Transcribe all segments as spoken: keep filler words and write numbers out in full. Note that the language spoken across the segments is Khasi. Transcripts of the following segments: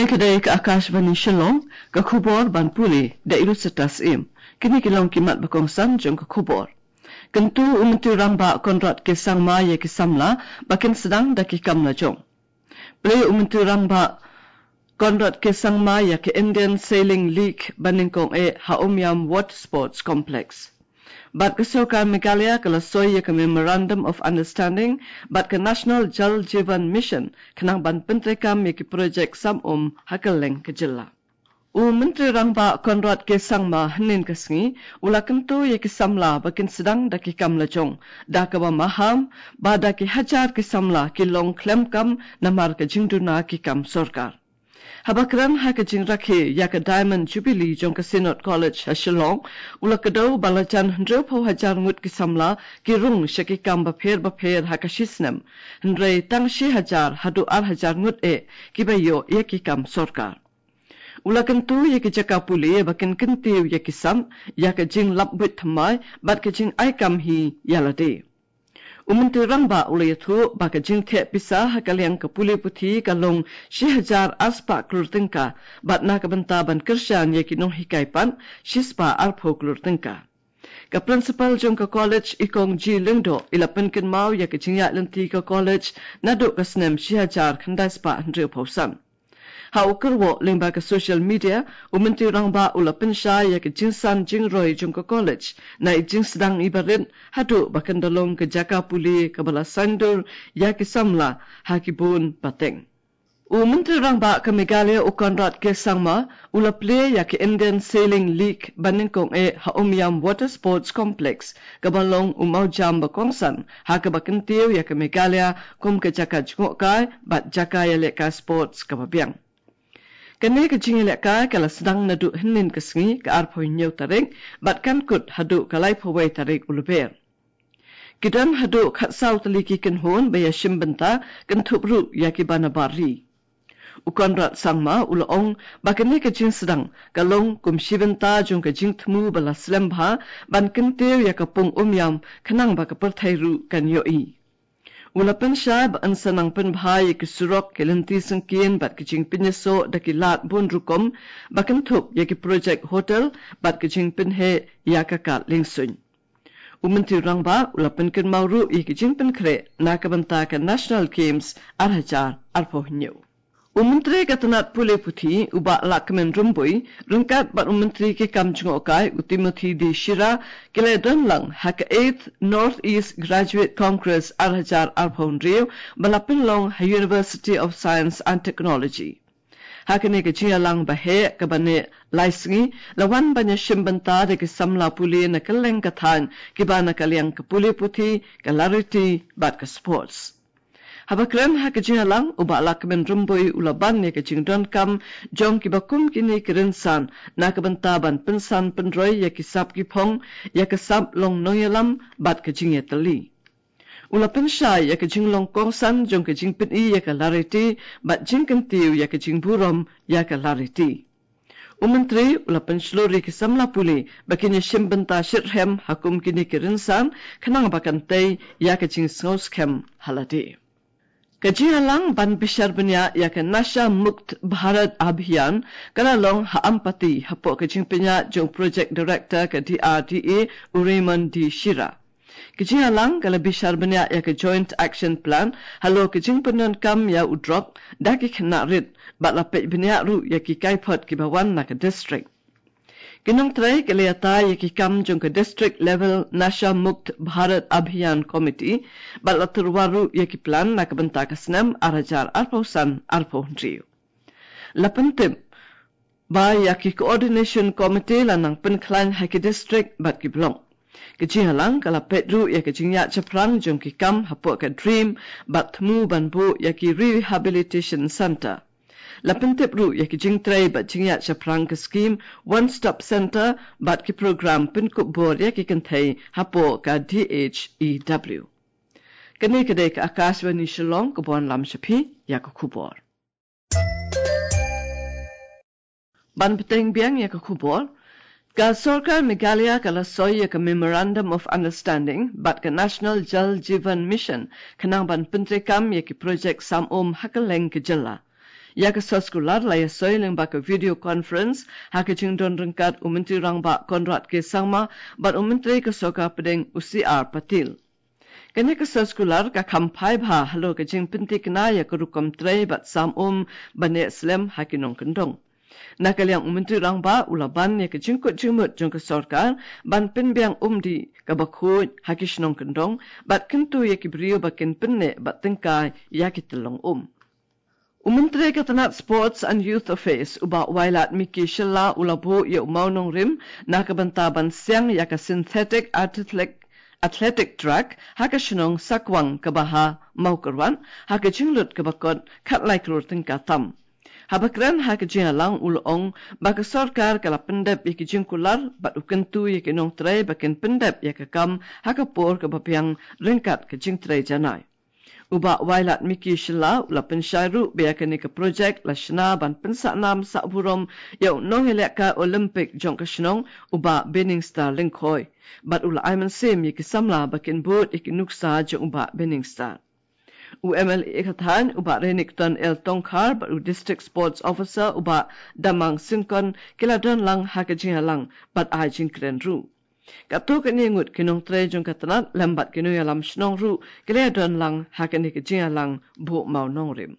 Ka dei ka Akashvani Shillong, ka khubor ban pule da i Lucetta Syiem. Kine ki long ki mat ba kongsan jong ka khubor. Kyntu u Myntri Rangbah Conrad K Sangma ïa ki samla ba kin sdang da ki kam la jong. Plie u Myntri Rangbah Conrad K Sangma ïa ka Indian Sailing League ba nyngkong eh ha Umiam Water Sports Complex. Bad ka sorkar Meghalaya ka la soi ïa ka Memorandum of Understanding bad ka National Jal Jeevan Mission khnang ban pyntreikam ïa ki projek sam um ha kylleng ka jylla. U Myntri Rangbah Conrad K Sangma hynnin ka sngi u la kyntu ïa ki samla ba kin sdang da ki kam la jong da kaba maham ba da ki hajar ki samla ki long khlem kam namar ka jingduna ki kam sorkar. Haba kren ha ka jingrakhe ïa ka Diamond Jubilee jong ka Synod College ha Shillong, u la kdew ba la jan hynriewphew hajar ngut ki samla ki rung sha ki kam bapher bapher ha ka shisnem, hynrei tang shi hajar haduh ar hajar ngut eh kiba ïoh ïa ki kam sorkar. U la kyntu ïa ki jaka pule ba kin kyntiew ïa ki sap ïa ka jinglap buit thymmai bad ka jingai kam hi ïa lade. U Myntri Rangbah u la ïathuh ba ka jingtheh pisa ha ka liang ka pule puthi ka long shi hajar arspah klur tyngka bad na ka bynta ban kyrshan ïa ki nonghikai pat shispah arphew klur tyngka. Ka principal jong ka college, i Kong G Lyngdoh, i la pynkynmaw ïa ka jingïaid lynti ka college naduh ka snem shi hajar khyndai spah hynriewphew san. Ha u kyrwoh lyngba ka social media, u Myntri Rangbah u la pynshai ïa ka jingsan jingroi jong ka college na i jingsdang i barit haduh ba kan da long ka jaka pule kaba la saiñdur ïa ki samla ha ki bun pateng. U Myntri Rangbah ka Meghalaya u Conrad K Sangma u la plie ïa ka Indian Sailing League ba nyngkong eh ha Umiam Water Sports Complex kaba long u mawjam ba kongsan ha kaba kyntiew ïa ka Meghalaya kum ka jaka jngohkai bad jaka ïalehkai sports kaba biang. Kane ka jingïalehkai ka la sdang naduh hynnin ka sngi ka arphew hynñiew tarik bad kan kut haduh ka laiphew wei tarik u Lber. Ki don haduh khatsaw tylli ki kynhun ba ïashim bynta, kynthup ruh ïa ki ba na bar ri. U Conrad Sangma u la ong ba kane ka jingsdang ka long kum shi bynta jong ka jingthmu ba la slem bha ban kyntiew ïa ka pung Umiam khnang ba ka pyrthei ruh kan ïohi. U la pynshai ba yn sa nang pynbha ïa ki surok, ki lynti syngkien bad ki jingpynïasoh da ki lad bun rukom ba kynthup ïa ki projek hotel bad ki jingpynheh ïa ka kad liengsuiñ. U Myntri Rangbah u la pynkynmaw ruh ïa ki jingpynkhreh na ka bynta ka National Games ar hajar arphew hynñiew. U Myntri ka tnat pule puthi u Bah Lahkmen Rymbui ryngkat bad u Myntri ki kam jngohkai u Timothy D Shira ki la don lang ha ka eighth North East Graduate Congress ar hajar arphew hynriew ba la pynlong ha University of Science and Technology. Ha kane ka jingïalang ba heh kaba neh lai sngi la wan ban ïashim bynta da ki samla pule na kylleng ka thaiñ kiba na ka liang ka pule puthi, ka lariti bad ka sports. Haba kren ha ka jingïalang u Bah Lahkmen Rymbui u la ban ïa ka jingdonkam jong kiba kum kine ki rynsan na ka bynta ban pynsan pynroi ïa ki sap ki phong, ïa ka sap long nongïalam bad ka jingïatylli. U la pynshai ïa ka jinglong kongsan jong ka jingpyni ïa ka lariti bad jingkyntiew ïa ka jingburom ïa ka lariti. U Myntri u la pynshlur ïa ki samla pule ba kin ïashim bynta shitrhem ha kum kine ki rynsan khnang ba kan tei ïa ka jingsngew skhem ha lade. Ka jingïalang ban bishar bniah ïa ka Nasha Mukt Bharat Abhiyan ka la long ha Ampati hapoh ka jingpynïaid jong Project Director ka D R D A u Raymond D Shira. Ka jingïalang ka la bishar bniah ïa ka Joint Action Plan halor ka jingpyndonkam ïa u drok da ki khynnah rit bad la peit bniah ruh ïa ki kaiphod kiba wan na ka district. Ki nongtrei ki la ïatai ïa ki kam jong ka District Level Nasha Mukt Bharat Abhiyan Committee bad la tyrwa ruh ïa ki plan na ka bynta ka snem ar hajar arphew san arphew hynriew. La pyntip ba ïa ki Coordination Committee la nang pynkhlaiñ ha ki district bad ki block. Ka jingïalang ka la peit ruh ïa ka jingïaid shaphrang jong ki kam hapoh ka DREAM bad thmu ban buh ïa ki Rehabilitation Centre. La pyntip ruh ïa ki jingtrei bad jingïaid shaphrang ka skhim One Stop Centre bad ki program pynkup bor ïa ki kynthei hapoh ka D H E W. Kane ka dei ka Akashvani Shillong kaba wanlam sha phi ïa ka khubor. Ban bteng biang ïa ka khubor, ka sorkar Meghalaya ka la soi ïa ka Memorandum of Understanding bad ka National Jal Jeevan Mission khnang ban pyntreikam ïa ki projek sam um ha kylleng ka jylla. ïa ka soskular la ïasoi lyngba ka video conference ha ka jingdon ryngkat u Myntri Rangbah Conrad K Sangma bad u Myntri ka Sorkar Pdeng u C R Patil. Kane ka soskular ka kham phai bha halor ka jingpynthikna ïa ka rukom trei bad sam um ban ïaid slem ha ki nongkyndong. Na ka liang u Myntri Rangbah u la ban ïa ka jingkut jingmut jong ka sorkar ban pynbiang um dih kaba khuid ha ki shnong kyndong bad kyntu ïa ki briew ba kin pynneh bad tyngkai ïa ki tyllong um. U Myntri ka tnat Sports and Youth Affairs u Bah Wailadmiki Shylla u la buh ïa u mawnongrim na ka bynta ban siang ïa ka synthetic athletic, athletic track ha ka shnong Sakwang kaba ha Mawkyrwat ha ka jinglut kaba kot khatlai klur tyngka tam. Haba kren ha ka jingïalang u la ong ba ka sorkar ka la pyndep ïa ki jingkular bad u kyntu ïa ki nongtrei ba kin pyndep ïa ka kam ha ka por kaba biang ryngkat ka jingtrei janai. U Bah Wailadmiki Shylla u la pynshai ruh ba ïa kane ka projek la shna ban pynsahnam sahburom ïa u nongïalehkai Olympic jong ka shnong u Bah Binningstar Lyngkhoi bad u la ai mynsiem ïa ki samla ba kin bud ïa ki nuksa jong u Bah Binningstar. U M L A ka thaiñ u Bah Renikton L Tongkhar bad u District Sports Officer u Bah Damang Syngkon ki la don lang ha ka jingïalang bad ai jingkren ruh. Katto katne ngut ki nongtrei jong ka tnat lem bad ki nongïalam shnong ruh ki la don lang ha kane ka jingïalang buh mawnongrim.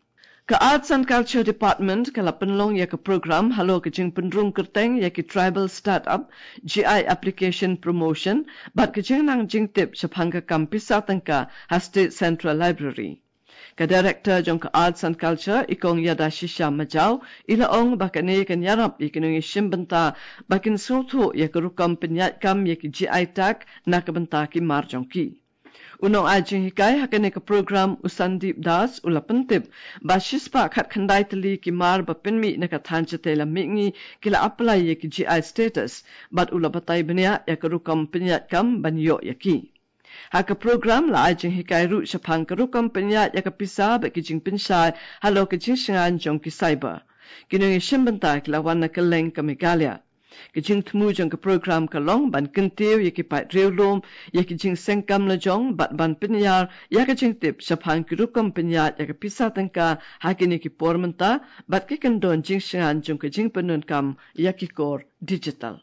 Ka Arts and Culture Department ka la pynlong ïa ka program halor ka jingpynrung kyrteng ïa ki tribal startup, G I application promotion bad ka jingnang jingtip shaphang ka kam pisa tyngka ha State Central Library. Ka Director jong ka Arts and Culture i Kong Ïada Shisha Majaw i la ong ba kane kan ïarap ïa ki nongïashim bynta ba kin sngewthuh ïa ka rukom pynïaid kam ïa ki G I tag na ka bynta ki mar jong ki. U nongai jinghikai ha kane ka program u Sandeep Das u la pyntip ba shispah khatkhyndai tylli ki mar ba pynmih na ka thaiñ shatei lam mihngi ki la apply ïa ki G I status bad u la batai bniah ïa ka rukom pynïaid kam ban ïoh ïa ki. Ha ka program la ai jinghikai ruh shaphang ka rukom pynïaid ïa ka pisa bad ki jingpynshai halor ka jingshngaiñ jong ki cyber. Ki nongïashim bynta ki la wan na kylleng ka Meghalaya. Ka jingthmu jong ka program ka long ban kyntiew ïa ki paid riewlum ïa ki jingseng kam lajong bad ban pynïar ïa ka jingtip shaphang ki rukom pynïaid ïa ka pisa tyngka ha kine ki por mynta bad ki kyndon jingshngaiñ jong ka jingpyndonkam ïa ki kor digital.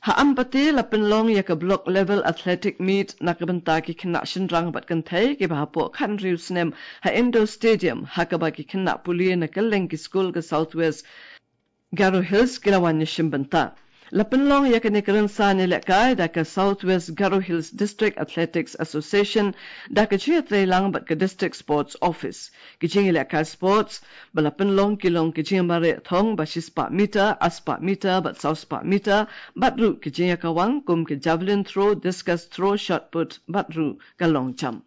Ha Ampati la pynlong ïa ka Block Level Athletic Meet na ka bynta ki khynnah shynrang bad kynthei kiba hapoh khathynriew snem ha Indoor Stadium ha kaba ki khynnah pule na kylleng ki skul ka South West Garo Hills ki la wan ïashim bynta. La pynlong ïa kane ka rynsan ïalehkai da ka South West Garo Hills District Athletics Association da ka jingïatreilang bad ka District Sports Office. Ki jingïalehkai sports ba la pynlong ki long ki jingmareh thong ba shispah meter, arspah meter bad sawspah meter bad ruh ki jingïakawang kum ki javelin throw, discus throw, shot put bad ruh ka long jump.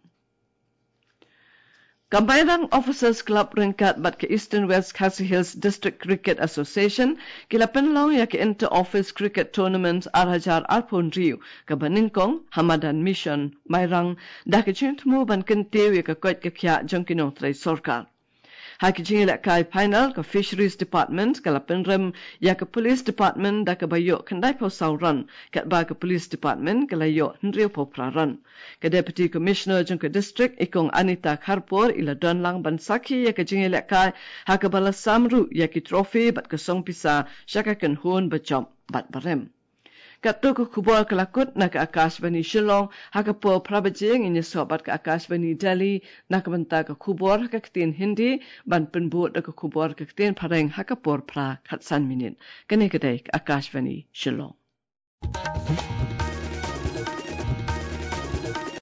Ka Mairang Officers Club ryngkat bad ka Eastern West Khasi Hills District Cricket Association ki la pynlong ïa ka Inter Office Cricket Tournament ar hajar arphew hynriew kaba nyngkong ha madan Mission Mairang da ka jingthmu ban kyntiew ïa ka koit ka khiah jong ki nongtrei sorkar. Ha ki jingïalehkai final ka Fisheries Department ka la pynrem ïa ka Police Department da kaba ïoh khyndaiphew saw run katba ka Police Department ka la ïoh hynriewphew phra run. Ka Deputy Commissioner jong ka district i Kong Anita Kharpor i la don lang ban sakhi ïa ka jingïalehkai ha kaba la sam ruh ïa ki trophy bad ka song pisa sha ka kynhun ba jop bad ba rem. Katto ka khubor ka la kut na ka Akashvani Shillong, ha ka por phra baje ngin ïasoh bad ka Akashvani Delhi na ka bynta ka khubor ha ka ktien Hindi, ban pynbud da ka khubor ka ktien Phareng ha ka por phra khatsan minit. Kane ka dei ka Akashvani Shillong.